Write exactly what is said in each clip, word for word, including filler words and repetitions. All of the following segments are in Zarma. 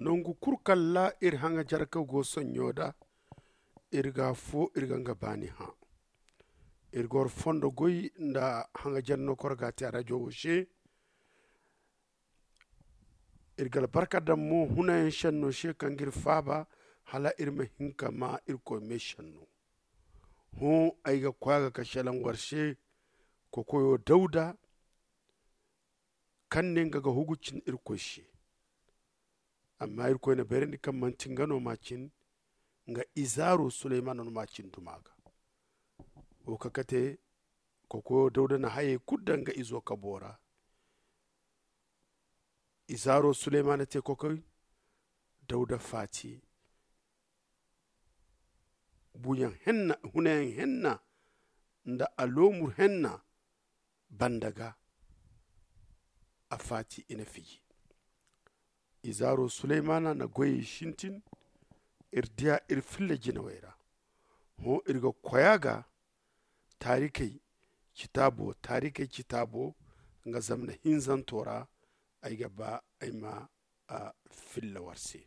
Nangu kulu kaŋ ra iri haŋajarka go sonɲo da, iri ga afo iri ga nga baani hã. Iri ga war fondo goy nda haŋajar no kaŋ war ga a te a rajo wo se. Iri ga albarka daŋ mo hunayaŋ senno se kaŋ ga iri faaba, hala iri ma hin ka maa irkoy me senno. Hõ, ay ga koy a ga ka selaŋ war se, kokoyo dawda, kaŋ ne nga ga hugu cin irkoy se. Amma irkoy na bayrandi kaŋ manti nga no m'a cin, nga izaaro suleymana no m'a cin duma ga. Wo ka kate, kokoyo dawda na hayey kulu daŋ nga izo kabo ra. Izaaro suleymana te kokoy, dawda faati. Buuyaŋ henna, hunayaŋ henna nda aloomur henna banda ga, a faati i na fiji. Izaaro suleymana na goyey sintin. Iri diya iri filla jinawey ra. Hõ, iri ga koy a ga taarikey citaabo taarikey citaabo nga zamna hinzanto ra. Ay ga ba ay ma a filla war se.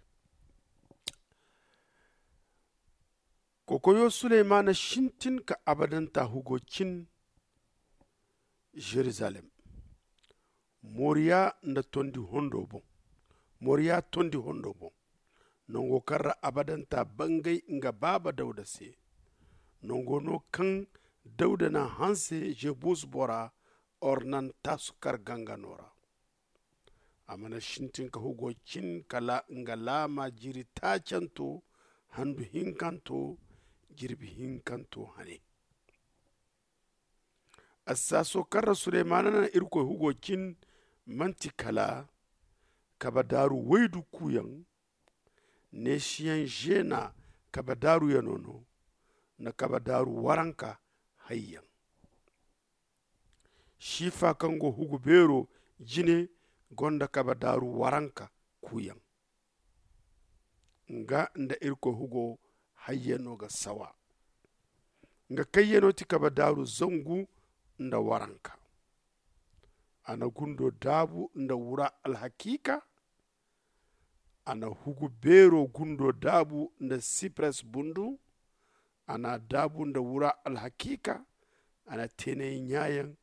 Kokoyo suleymana sintin ka abadanta hugo cin. Zerizalem. Moriya nda tondi hondo boŋ. Moriya tondi hondo boŋ. Nango kaŋ ra abadanta bangay nga baaba dawda se. Nango no kaŋ dawda na hanse jebus bora ornan tasu kar gangano ra. A mana sintin ka hugo cin kala nga laama jiri taacanto, handu hinkanto, jirbi hinkanto hane. Assaaso kaŋ ra suleymana na irkoy hugo cin manti kala kabadaaru waydu kuuyaŋ. Neesiyaŋ zeena kabadaaruyano no na kabadaaru waranka hayyaŋ. Siifa kaŋ go hugu beero jine gonda kabadaaru waranka kuuyaŋ. Nga nda irkoy hugo hayyano ga sawa. Nga kayyano ti kabadaaru zangu nda waranka. A na gundo daabu nda wura alhakiika. A na hugu beero gundo daabu nda sipres bundu. A na a daabu nda wura alhakiika. A na teenay ɲaayaŋ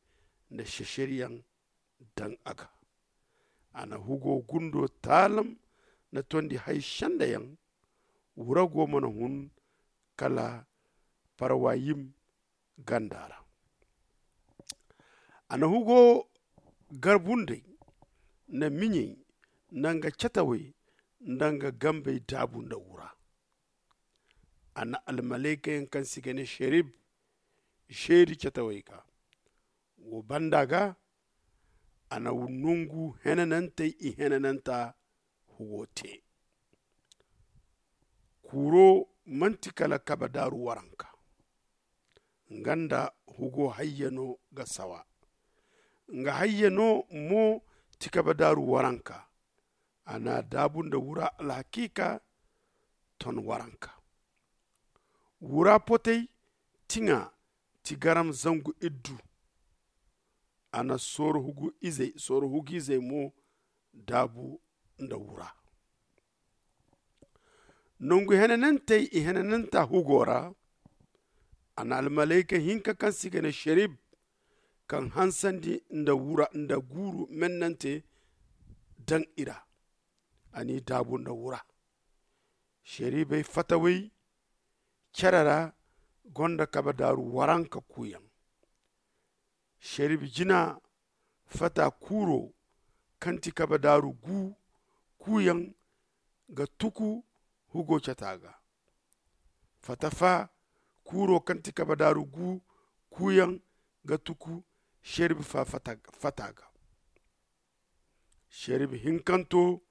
nda seseryaŋ daŋ a ga. A na hugo gundo taalam na tondi hay sendayaŋ. Wurago mana hun kala parwayim ganda ra. A na hugo garbunday nda miɲey nda nga catawey nda nga gambey daabu nda wura. A na almalaykayaŋ kaŋ se i ga ne serib zeeri catawey ga. Wo banda ga a na nangu henanantey ihenananta hugo te. Kuuro manti kala kabadaaru waranka. Nga nda hugo hayyano ga sawa. Nga hayyano mo ti kabadaaru waranka. A na a daabu nda wura alhakiika ton waranka. Wura potey tiŋa ti garam zangu iddu. A na sooro hugu izey sooro hugu izey mo daabu nda wura. Nangu henanantey ihenananta hugo ra. A na almalayka hinka kaŋ se i ga ne serib kaŋ hansandi nda wura nda guuru mennante daŋ i ra. A n'i daabu nda wura. Seribey fatawey care ra gonda kabadaaru waranka kuuyaŋ. Serib jina fata kuuro kaŋ ti kabadaaru gu kuuyaŋ ga tuku hugo cata ga. Fata fa kuuro kaŋ ti kabadaaru gu kuuyaŋ ga tuku serib fa fata ga. Serib hinkanto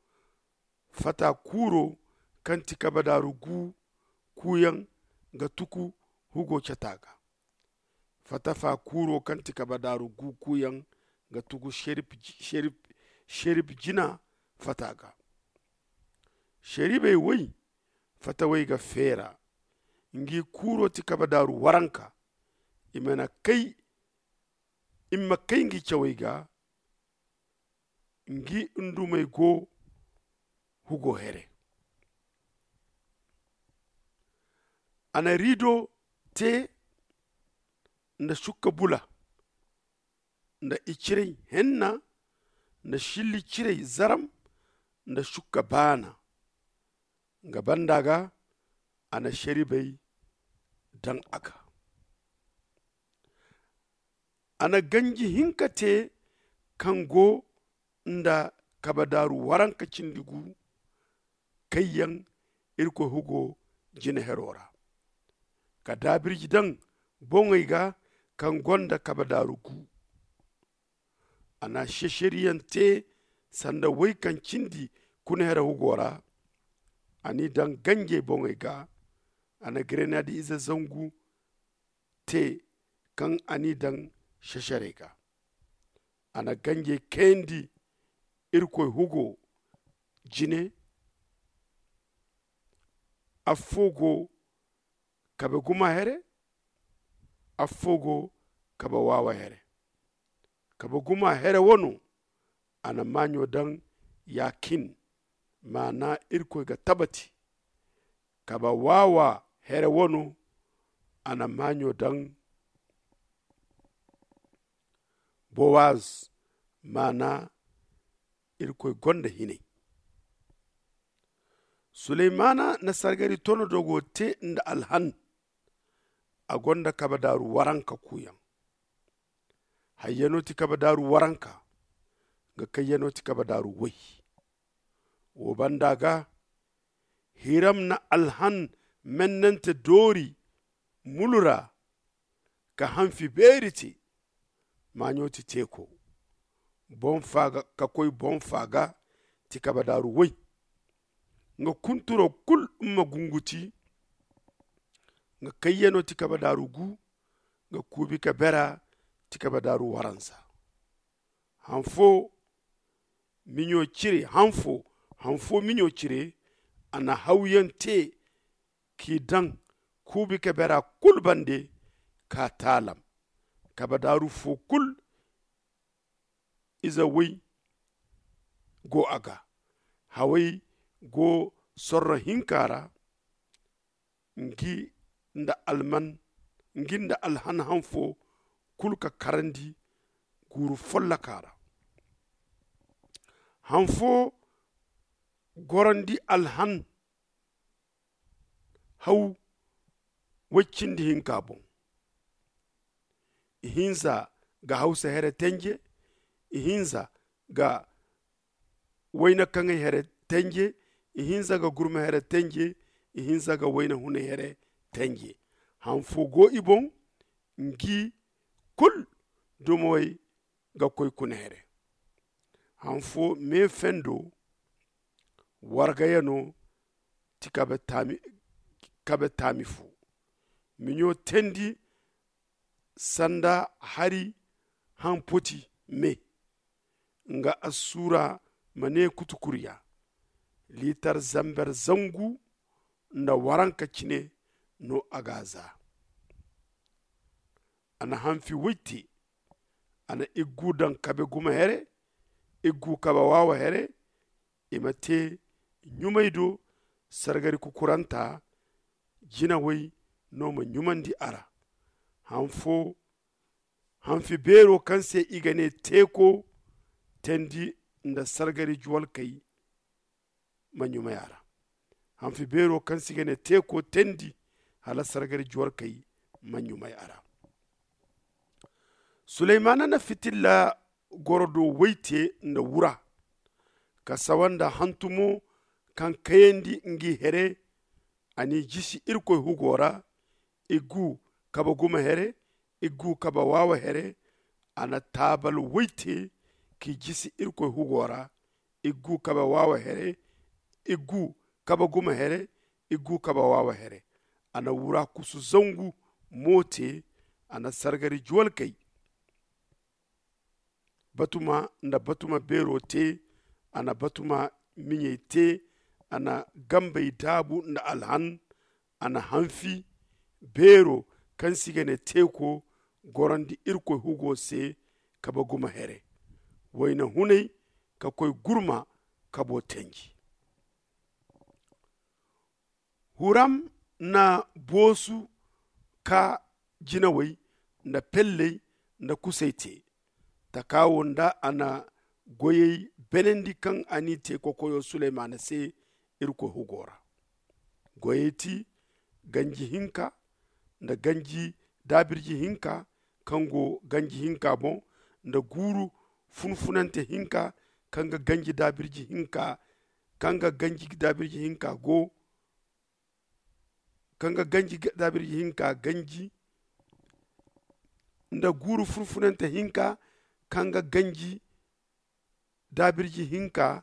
fata kuuro kaŋ ti kabadaaru gu kuuyaŋ ga tuku hugo cata ga. Fata fa kuuro kaŋ ti kabadaaru gu kuuyaŋ ga tugu serib jina fata ga. Seribey woy fatawey ga feera. Ngi kuuro ti kabadaaru waranka. I ma kay ngi cawey ga. Ngi ndumey go hugo here. A na rido te nda sukka bula nda iciray henna nda silli ciray zaram nda sukka baana. Nga banda ga a na seribey daŋ a ga. A na ganji hinka te kaŋ go nda kabadaaru waranka cindi gu kaŋ yaŋ irkoy hugo jine hero ra, ka daabirji daŋ boŋey ga kaŋ gonda kabadaaru gu. A na seseriyaŋ te sanda way kaŋ cindi kuna here hugo ra. A n'i daŋ ganjey boŋey ga. A na grenadi ize zangu te kaŋ a n'i daŋ seserey ga. A na ganjey kayandi irkoy hugo jine. Affo go kabe guma here. Affo go kabe waawa here. Kabe guma here wano a na maaɲo daŋ yakin, maana irkoy ga tabati. Kabe waawa here wano a na maaɲo daŋ bowaz, maana irkoy gonda hinay. Suleymana na sargari tono dogo te nda alhan. A gonda kabadaaru waranka kuuyaŋ. Hayyano ti kabadaaru waranka. Nga kayyano ti kabadaaru way. Wo banda ga hiram na alhan mennante doori mulu ra ka hanfi beeri te. Maaɲo ti teeko boŋ faaga ka koy boŋ faaga ti kabadaaru way. Nga kunturo kul ma gungu ti. Nga kayyano ti kabadaaru gu. Nga kuubi ka bera ti kabadaaru waransa. Hanfo miɲo cire hanfo hanfo miɲo cire. A na hawyaŋ te k'i daŋ kuubi ka bera kul bande. Ka taalam kabadaaru fo kul ize way go a ga. Haway go sorro hinka ra. Ngi nda alman ngi nda alhan hanfo kulu ka karandi guuru folloka ra. Hanfo gorandi alhan haw way cindi hinka boŋ. Ihinza ga hawsa here tenje. Ihinza ga wayna kaŋay here tenje. Ihinza ga gurma here tenje. Ihinza ga wayna hunay here tenje. Hanfo go i boŋ ngi kul dumawey ga koy kuna here. Hanfo me fendo wargayano ti kabe taami fo. Miɲo tendi sanda hari haŋ poti me. Nga assura ma ne kutukuriya liitar zamber zangu nda waranka cine no a ga a za. A na hanfi way te. A na iggu daŋ kabe guma here. Iggu kabe waawa here. I ma te ɲumay do sargari kukuranta jinawey no ma ɲumandi a ra. Hanfi beero kaŋ se i ga ne teeko tendi nda sargari juwalkey ma ɲumay a ra. Hanfi beero kaŋ se i ga ne teeko tendi hala sargari juwalkey ma ɲumay a ra. Suleymana na fitilla goro do way te nda wura ka sawa nda hantumo kaŋ kayandi ngi here. A n'i jisi irkoy hugo ra. Iggu kabe guma here. Iggu kabe waawa here. A na taabal way te k'i jisi irkoy hugo ra. Iggu kabe waawa here. Iggu kabe guma here. Iggu kabe waawa here. A na wura kusu zangu mo te. A na sargari juwalkey batuma nda batuma beero te. A na batuma miɲey te. A na gambey daabu nda alhan. A na hanfi beero kaŋ se i ga ne teeko gorandi irkoy hugo se kabe guma here. Wayna hunay ka koy gurma kabo tenji. Huram na boosu ka jinawey nda pelley nda kusey te. Taka wo nda a na goyey benandi kaŋ a n'i te kokoyo suleymaana se. Irkoy hugo ra goyey ti ganji hinka nda ganji daabirji hinka kaŋ go ganji hinka boŋ nda guuru funfunante hinka kaŋ ga ganji daabirji hinka kaŋ ga ganji daabirji hinka go kaŋ ga ganji daabirji hinka ganji nda guuru funfunante hinka kaŋ ga ganji daabirji hinka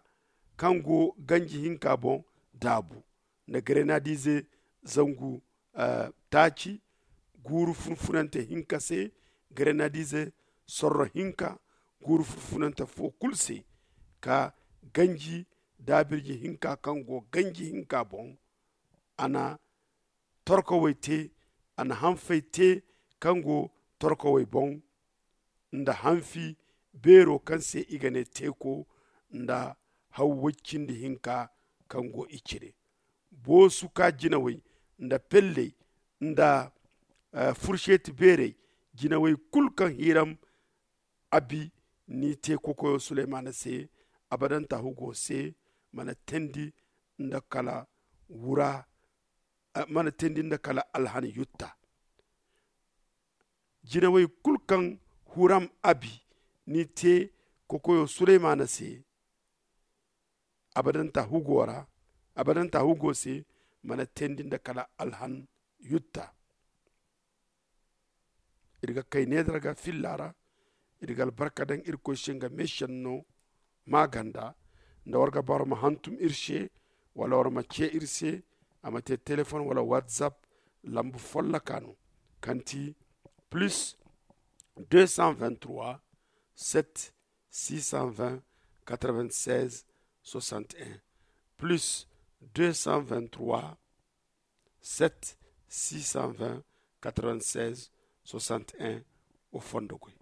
kaŋ go ganji hinka boŋ daabu nda grenadize zangu taaci guuru funfunante hinka se grenadize sorro hinka guuru funfunante fo kulu se ka ganji daabirji hinka kaŋ go ganji hinka boŋ. A na torkawey te a na hanfey te kaŋ go torkawey boŋ nda hanfi beero kaŋ se i ga ne teeko nda haw way cindi hinka kaŋ go i cire boosu ka jinawey nda pelley nda furseti beerey jinawey kulu kaŋ hiram abi n'i te kokoyo suleymaana se abadanta hugo se mana teendi nda kala wura mana teendi nda kala alhan yutta jinawey kulu kaŋ huram abi n'i te kokoyo suleymaana se abadanta hugo ra abadanta hugo se mana teendi nda kala alhan yutta. Iri ga kay needar ga filla ra iri ga albarka daŋ irkoy se nga meesenno maaganda nda war ga ba war ma hantum iri se wala war ma ce iri se a ma te telefon wala whatsapp lambu folloka no kaŋ ti plus deux cent vingt-trois sept six cent vingt quatre-vingt-seize soixante-un plus deux cent vingt-trois sept six cent vingt quatre-vingt-seize soixante-un. Wo fondo goy